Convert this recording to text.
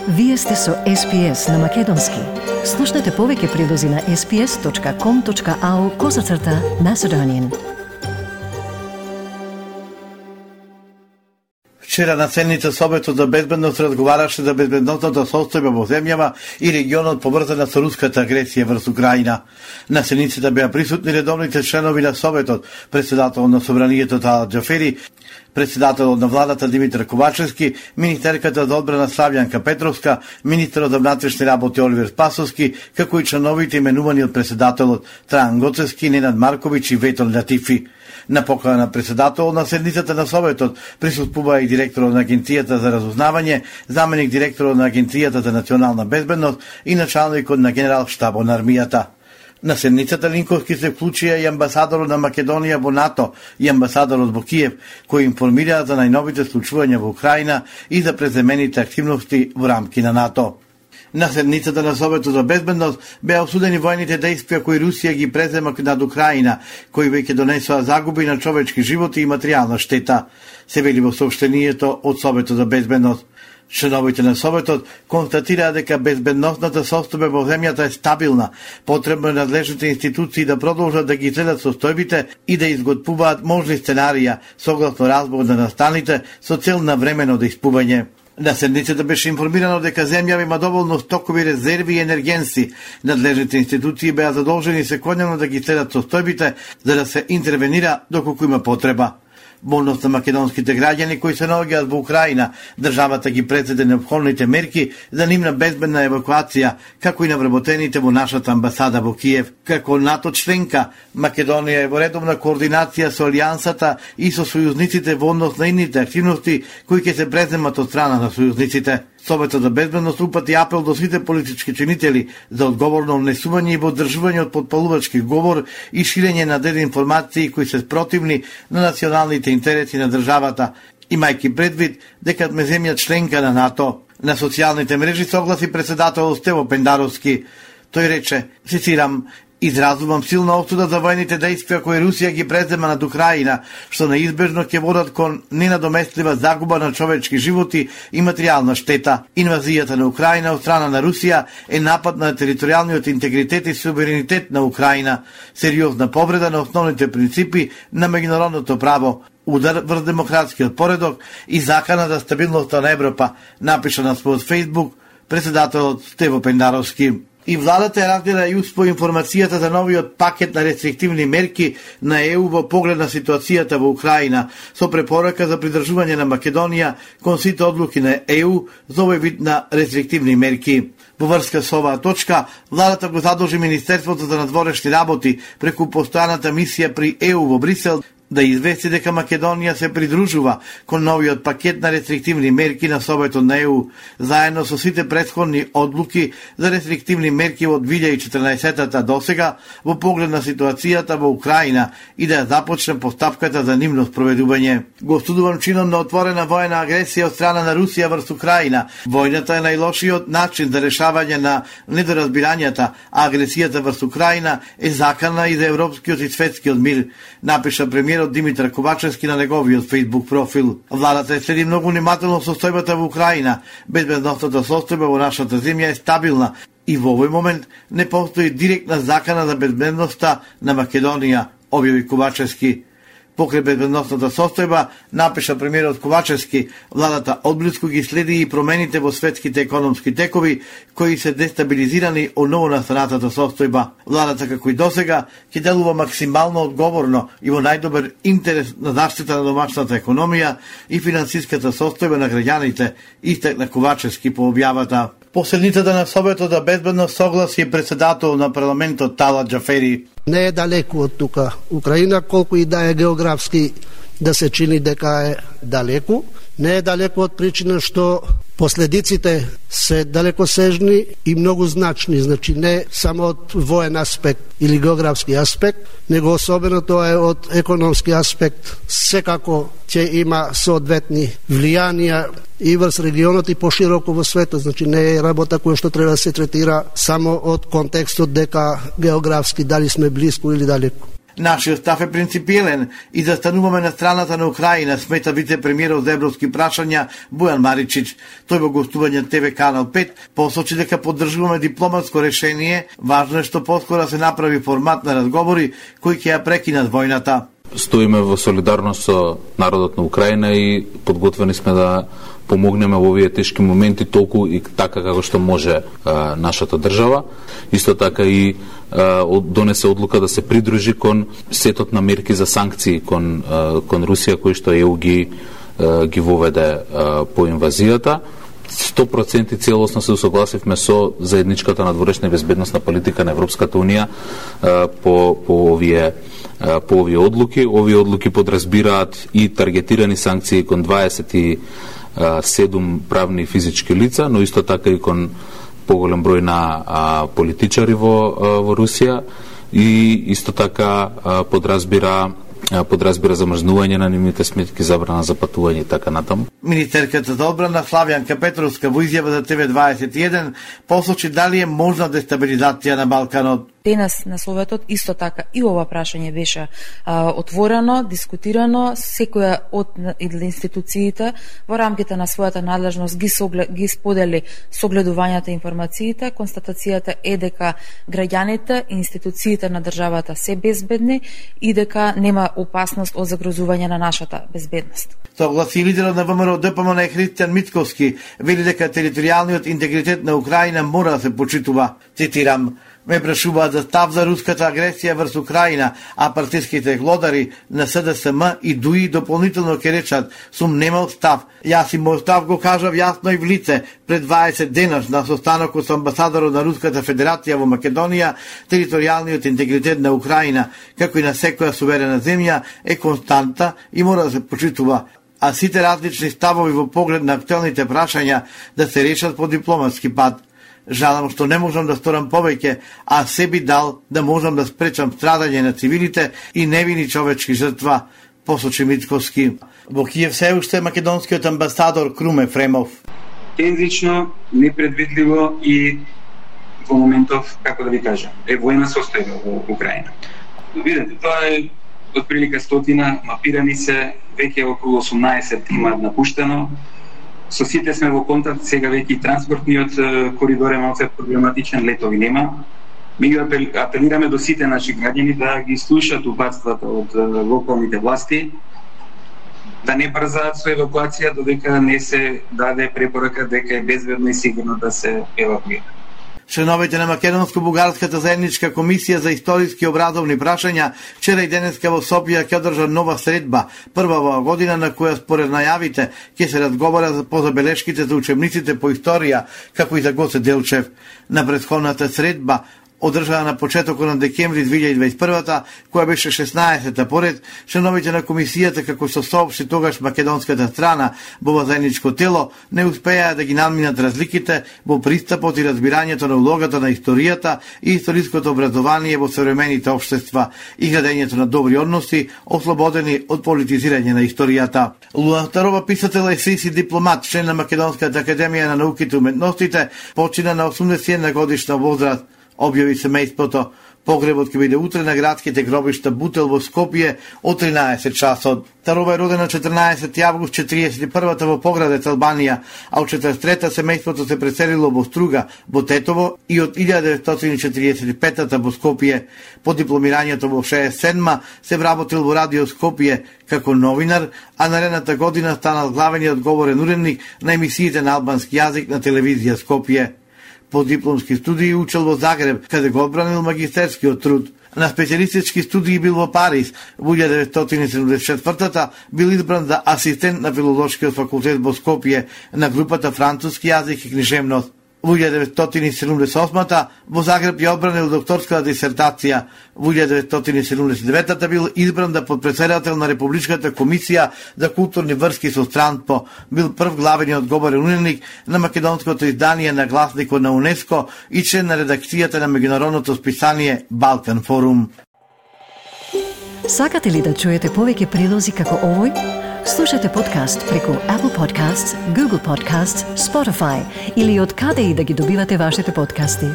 Вие сте со SPS на Македонски. Слушнете повеќе прилози на sps.com.au/Macedonian. Вчера на седница Советот за безбедност разговараше за безбедносната состојба во земјава и регионот поврзана со руската агресија врз Украина. На седницата беа присутни редовните членови на Советот, председател на Собранието Талат Џафери, председателот на владата Димитар Ковачевски, министерката за одбрана Славјанка Петровска, министерот за внатрешни работи Оливер Спасовски, како и членовите именувани од председателот Трајан Гоцевски, Ненад Марковиќ и Ветон Латифи. На покана на председател на седницата на Советот присуствува и директорот на Агенцијата за разузнавање, заменик директорот на Агенцијата за национална безбедност и началникот на генерал штабот на армијата. На седницата Линковски се вклучија и амбасадорот на Македонија во НАТО и амбасадорот во Киев, кои информираа за најновите случувања во Украина и за преземените активности во рамки на НАТО. На седницата на Советот за безбедност беа осудени војните дејствија кои Русија ги презема над Украина, кои веќе донесоа загуби на човечки животи и материјална штета, се вели во соопштението од Советот за безбедност. Членовите на Советот констатираа дека безбедносната состојба во земјата е стабилна. Потребно е надлежните институции да продолжат да ги следат состојбите и да изготвуваат можни сценарија согласно разбор на настаните со цел на времено дејствување. На седницата беше информирано дека земјава има доволно стокови резерви и енергенси. Надлежните институции беа задолжени секојдневно да ги следат состојбите за да се интервенира доколку има потреба. Волност на македонските граѓани кои се наоѓаат во Украина, државата ги предзеде неопходните мерки за нивна безбедна евакуација, како и на вработените во нашата амбасада во Киев. Како НАТО членка, Македонија е во редовна координација со Алијансата и со сојузниците во однос на ините активности кои ќе се преземат од страна на сојузниците. Советот за безбедност упати апел до сите политички чинители за одговорно внесување и поддржување од потпалувачки говор и ширење на дезинформации кои се спротивни на националните интереси на државата, имајќи предвид дека сме земја членка на НАТО. На социјалните мрежи согласи председателот Стево Пендаровски. Тој рече, цитирам: "Изразувам силна осуда за војните дејствија кои Русија ги презема над Украина, што неизбежно ќе водат кон ненадоместлива загуба на човечки животи и материјална штета. Инвазијата на Украина од страна на Русија е напад на територијалниот интегритет и суверенитет на Украина, сериозна повреда на основните принципи на меѓународното право, удар врз демократскиот поредок и закана за стабилноста на Европа", напиша на својот Фејсбук председателот Стево Пендаровски. И владата е разгледа и успо информацијата за новиот пакет на рестриктивни мерки на ЕУ во поглед на ситуацијата во Украина, со препорака за придржување на Македонија кон сите одлуки на ЕУ за овој вид на рестриктивни мерки. Во врска со оваа точка, владата го задолжи Министерството за надворешни работи преку постојаната мисија при ЕУ во Брисел да извести дека Македонија се придружува кон новиот пакет на рестриктивни мерки на Советот на ЕУ, заедно со сите претходни одлуки за рестриктивни мерки од 2014 до сега во поглед на ситуацијата во Украина и да ја започне постапката за нивно спроведување. Го осудувам чинот на отворена воена агресија од страна на Русија врз Украина. Војната е најлошиот начин за решавање на недоразбирањата, а агресијата врз Украина е закана и за европскиот и светскиот мир, напиша премиерот Димитар Ковачевски на неговиот Фејсбук профил. Владата следи многу внимателно состојбата во Украина. Безбедносната состојба во нашата земја е стабилна и во овој момент не постои директна закана за безбедноста на Македонија, објави Ковачевски. Покрај безбедносната состојба, напиша премиерот Ковачевски, владата одблиску ги следи и промените во светските економски текови, кои се дестабилизирани од ново настанатата состојба. Владата, како и досега, ќе делува максимално одговорно и во најдобар интерес на заштита на домашната економија и финансиската состојба на граѓаните, истакна Ковачевски по објавата. По седницата на Советот за безбедност согласи председател на парламентот Талат Џафери. Не е далеку од тука Украина, колку и да е географски да се чини дека е далеку. Не е далеку од причина што последиците се далекосежни и многу значни, значи не само од воен аспект или географски аспект, него особено тоа е од економски аспект. Секако ќе има соодветни влијанија и врз регионот и пошироко во светот, значи не е работа која што треба да се третира само од контекстот дека географски дали сме блиску или далеку. Нашиот став е принципиелен и застануваме на страната на Украина, смета вице-премиерот за европски прашања Бојан Маричич. Тој во гостување ТВ Канал 5 посочи дека поддржуваме дипломатско решение, важно е што поскоро се направи формат на разговори кои ќе ја прекинат војната. Стоиме во солидарност со народот на Украина и подготвени сме да помогнеме во овие тешки моменти толку и така како што може нашата држава. Исто така и донесе одлука да се придружи кон сетот на мерки за санкции кон Русија кои што ЕУ ги воведе по инвазијата. 100% целосно се согласивме со заедничката надворешна и безбедносна политика на Европската унија по овие одлуки. Овие одлуки подразбираат и таргетирани санкции кон 27 правни и физички лица, но исто така и кон поголем број на политичари во Русија и исто така подразбира замрзнување на нивните сметки, забрана за патување и така натаму. Министерката за одбрана Славјанка Петровска во изјава за ТВ21 посочи дали е можна дестабилизација на Балканот. Денес на Советот исто така и ова прашање беше отворено, дискутирано, секоја од институциите во рамките на својата надлежност ги сподели согледувањата и информациите. Констатацијата е дека граѓаните и институциите на државата се безбедни и дека нема опасност од загрозување на нашата безбедност. Согласи лидерот на ВМРО ДПМН Христијан Мицковски, вели дека територијалниот интегритет на Украина мора да се почитува. Цитирам: ме прашуваат за став за руската агресија врз Украина, а партиските глодари на СДСМ и ДУИ дополнително ќе речат: сум немал став. Јас и мој став го кажав јасно и в лице пред 20 денаш на состанокот со амбасадорот на Руската Федерација во Македонија. Територијалниот интегритет на Украина, како и на секоја суверена земја, е константа и мора да се почитува, а сите различни ставови во поглед на актуелните прашања да се решат по дипломатски пат. Жалам што не можам да сторам повеќе, а се би дал да можам да спречам страдање на цивилите и невини човечки жртва, посочи Мицковски. Во Киев се уште македонскиот амбасадор Круме Фремов. Тензично, непредвидливо и во моментов, како да ви кажам, е војна состојба во Украина. Видете, тоа е отприлика 100, мапирани се, веќе околу 18 имаат напуштено. Со сите сме во контакт, сега веќе и транспортниот коридор е малце проблематичен, летови нема. Ми ги апелираме до сите наши граѓани да ги слушаат упатствата од локалните власти, да не брзаат со евакуација додека не се даде препорака дека е безбедно и сигурно да се евакуира. Членовите на Македонско-бугарската заедничка комисија за историски и образовни прашања вчера и денеска во Софија ќе одржа нова средба, прва во година на која според најавите ќе се разговара по забелешките за учебниците по историја, како и за Гоце Делчев. На претходната средба одржана на почетокот на декември 2021, која беше 16-та поред, членовите на комисијата, како што соопшти тогаш македонската страна во заедничко тело, не успеа да ги надминат разликите во пристапот и разбирањето на улогата на историјата и историското образование во современите општества и градењето на добри односи, ослободени од политизирање на историјата. Луан Старова, писател, есеист и дипломат, член на Македонската академија на науките и уметностите, почина на 81 годишна возраст, објави семејството. Погребот ќе биде утре на градските гробишта Бутел во Скопје од 13 часот. Старова е родена 14 август 41-та во Поградец, Албанија, а од 43-та семејството се преселило во Струга, во Тетово и од 1945-та во Скопје. По дипломирањето во 67-ма се вработил во Радио Скопје како новинар, а наредната година станал главниот говорен уредник на емисиите на албански јазик на телевизија Скопје. По дипломски студии учел во Загреб, каде го одбранил магистерскиот труд. На специјалистички студии бил во Париз. Во 1974-та бил избран за асистент на филолошкиот факултет во Скопје на групата француски јазик и книжевност. Во 1978-та во Загреб ја одбранил докторската дисертација. Во 1979-та бил избран за подпредседател на Републичката комисија за културни врски со странство. Бил прв главниот говорен уредник на македонското издание на гласникот на УНЕСКО и член на редакцијата на меѓународното списание Балкан форум. Сакате ли да чуете повеќе прилози како овој? Слушате подкаст преку Apple Podcasts, Google Podcasts, Spotify или од каде и да ги добивате вашите подкасти.